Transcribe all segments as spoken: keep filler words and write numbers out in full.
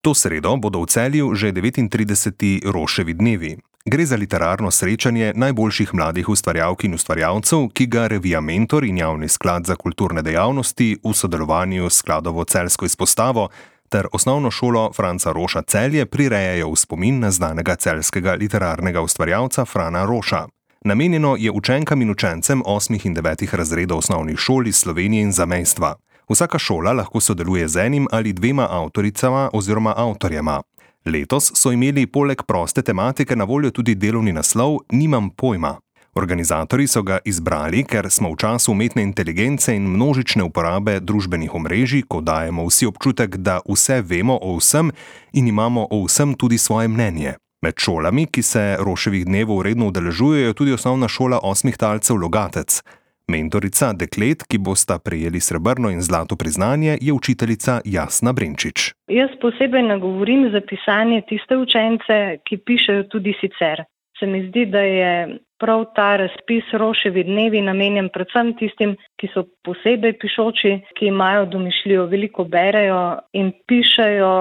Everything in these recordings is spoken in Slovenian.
To sredo bodo v Celju že devetintrideseti Roševi dnevi. Gre za literarno srečanje najboljših mladih ustvarjalk in ustvarjalcev, ki ga revija Mentor in Javni sklad za kulturne dejavnosti v sodelovanju s skladovo celjsko izpostavo ter osnovno šolo Franca Roša Celje prirejajo v spomin na znanega celjskega literarnega ustvarjalca Frana Roša. Namenjeno je učenkam in učencem osmih in devetih razredov osnovnih šol iz Slovenije in zamejstva. Vsaka šola lahko sodeluje z enim ali dvema avtoricama oziroma avtorjema. Letos so imeli poleg proste tematike na voljo tudi delovni naslov Nimam pojma. Organizatorji so ga izbrali, ker smo v času umetne inteligence in množične uporabe družbenih omrežij, ko dajemo vsi občutek, da vse vemo o vsem in imamo o vsem tudi svoje mnenje. Med šolami, ki se Roševih dnevov redno udeležujejo, tudi osnovna šola osmih talcev Logatec. Mentorica deklet, ki bosta prejeli srebrno in zlato priznanje, je učiteljica Jasna Brenčič. Jaz posebej nagovorim za pisanje tiste učence, ki pišejo tudi sicer. Se mi zdi, da je prav ta razpis Roševi dnevi namenjen predvsem tistim, ki so posebej pišoči, ki imajo domišljijo, veliko berejo in pišejo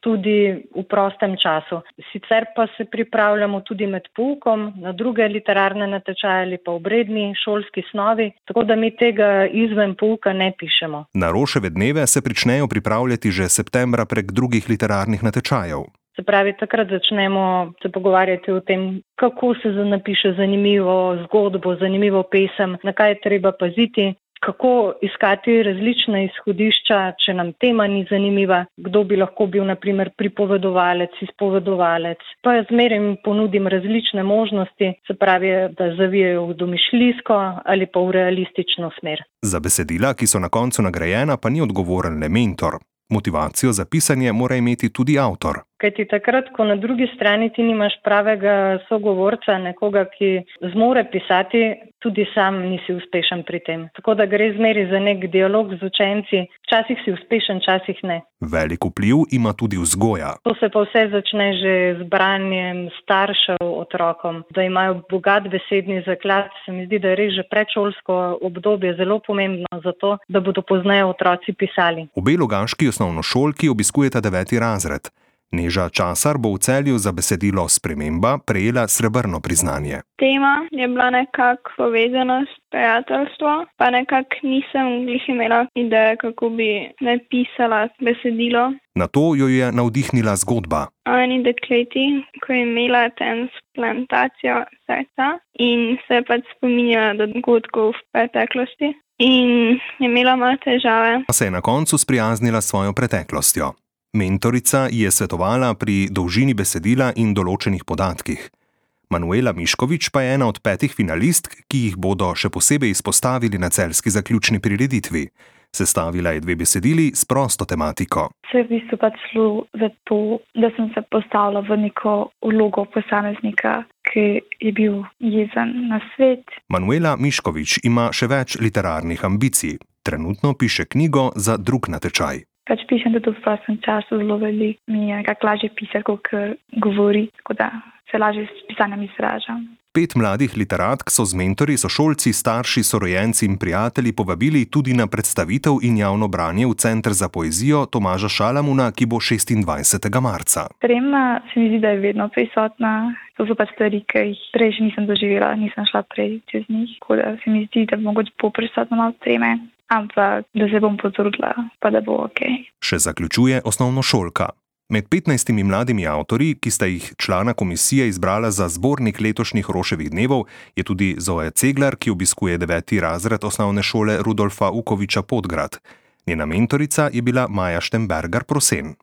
tudi v prostem času. Sicer pa se pripravljamo tudi med poukom na druge literarne natečaje ali pa obredni šolski snovi, tako da mi tega izven pouka ne pišemo. Na Roševe dneve se pričnejo pripravljati že septembra prek drugih literarnih natečajev. Se pravi, takrat začnemo se pogovarjati o tem, kako se napiše zanimivo zgodbo, zanimivo pesem, na kaj je treba paziti, kako iskati različna izhodišča, če nam tema ni zanimiva, kdo bi lahko bil na primer pripovedovalec, izpovedovalec. Pa jaz zmeraj ponudim različne možnosti, se pravi, da zavijajo v domišljijsko ali pa v realistično smer. Za besedila, ki so na koncu nagrajena, pa ni odgovoren le mentor. Motivacijo za pisanje mora imeti tudi avtor. Kajti takrat, ko na drugi strani ti nimaš pravega sogovorca, nekoga, ki zmore pisati, tudi sam nisi uspešen pri tem. Tako da gre zmeri za nek dialog z učenci. Včasih si uspešen, včasih ne. Velik vpliv ima tudi vzgoja. To se pa vse začne že z branjem staršev otrokom, da imajo bogat besedni zaklad. Se mi zdi, da je res že predšolsko obdobje zelo pomembno za to, da bodo pozneje otroci pisali. Obe logaški osnovnošolki obiskujeta deveti razred. Neža Časar bo v Celju za besedilo Sprememba prejela srebrno priznanje. Tema je bila nekako povezanost, prijateljstvo, pa nekako nisem glih imela ideje, kako bi napisala besedilo. Na to jo je navdihnila zgodba. O eni dekleti, ko je imela transplantacijo srca in se pač spominjala dogodkov v preteklosti in je imela malo težave. Pa se je na koncu sprijaznila s svojo preteklostjo. Mentorica je svetovala pri dolžini besedila in določenih podatkih. Manuela Miškovič pa je ena od petih finalistk, ki jih bodo še posebej izpostavili na celjski zaključni prireditvi. Sestavila je dve besedili s prosto tematiko. Se je v bistvu pač šlo za to, da sem se postavila v neko vlogo posameznika, ki je bil jezen na svet. Manuela Miškovič ima še več literarnih ambicij. Trenutno piše knjigo za drug natečaj. Pač pišem tudi v prostem času, zelo veliko mi je nekako lažje pisati, kot govori, tako da se lažje s pisanjem izražam. Pet mladih literatk so z mentorji, sošolci, starši, sorojenci in prijatelji povabili tudi na predstavitev in javno branje v Center za poezijo Tomaža Šalamuna, ki bo šestindvajsetega marca. Trema se mi zdi, da je vedno prisotna. To so pač stvari, ki jih prej še nisem doživela, nisem šla prej čez njih, tako da se mi zdi, da mogoče bo prisotno malo treme. Ampak da se bom potrudila, pa da bo ok. Še zaključuje osnovnošolka. Med petnajstimi mladimi avtorji, ki sta jih člana komisije izbrala za zbornik letošnjih Roševih dnevov, je tudi Zoja Ceglar, ki obiskuje deveti razred osnovne šole Rudolfa Ukoviča Podgrad. Njena mentorica je bila Maja Štembergar Prosen.